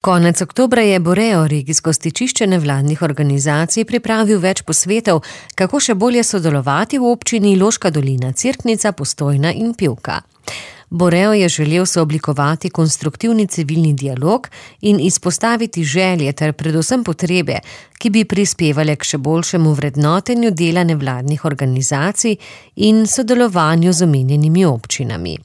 Konec oktobra je Boreo, regijsko stičišče nevladnih organizacij, pripravil več posvetov, kako še bolje sodelovati v občini Loška dolina, Cerknica, Postojna in Pivka. Boreo je želel sooblikovati konstruktivni civilni dialog in izpostaviti želje ter predvsem potrebe, ki bi prispevale k še boljšemu vrednotenju dela nevladnih organizacij in sodelovanju z omenjenimi občinami.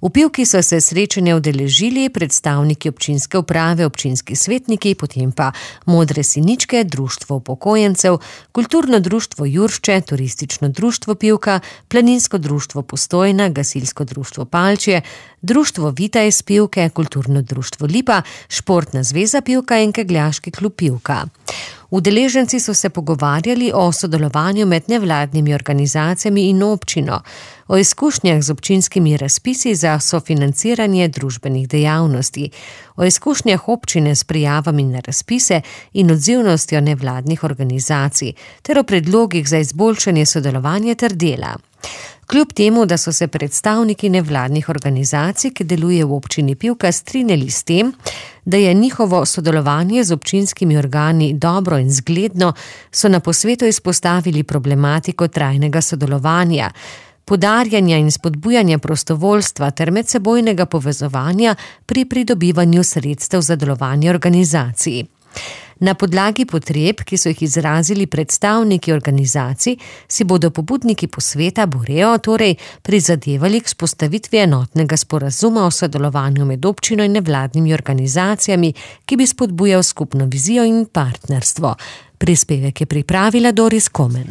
V Pivki so se srečanja udeležili predstavniki občinske uprave, občinski svetniki, potem pa Modre siničke, društvo upokojencev, kulturno društvo Juršče, turistično društvo Pivka, planinsko društvo Postojna, gasilsko društvo Palčje, društvo Vita iz Pivke, kulturno društvo Lipa, športna zveza Pivka in kegljaški klub Pivka. Udeleženci so se pogovarjali o sodelovanju med nevladnimi organizacijami in občino, o izkušnjah z občinskimi razpisi za sofinanciranje družbenih dejavnosti, o izkušnjah občine s prijavami na razpise in odzivnostjo nevladnih organizacij ter o predlogih za izboljšanje sodelovanja ter dela. Kljub temu, da so se predstavniki nevladnih organizacij, ki delujejo v občini Pivka, strinjali s tem, da je njihovo sodelovanje z občinskimi organi dobro in zgledno, so na posvetu izpostavili problematiko trajnega sodelovanja, poudarjanja in spodbujanja prostovoljstva ter medsebojnega povezovanja pri pridobivanju sredstev za delovanje organizacij. Na podlagi potreb, ki so jih izrazili predstavniki organizacij, si bodo pobudniki posveta Boreo torej prizadevali k vzpostavitvi enotnega sporazuma o sodelovanju med občino in nevladnimi organizacijami, ki bi spodbujal skupno vizijo in partnerstvo. Prispevek je pripravila Doris Komen.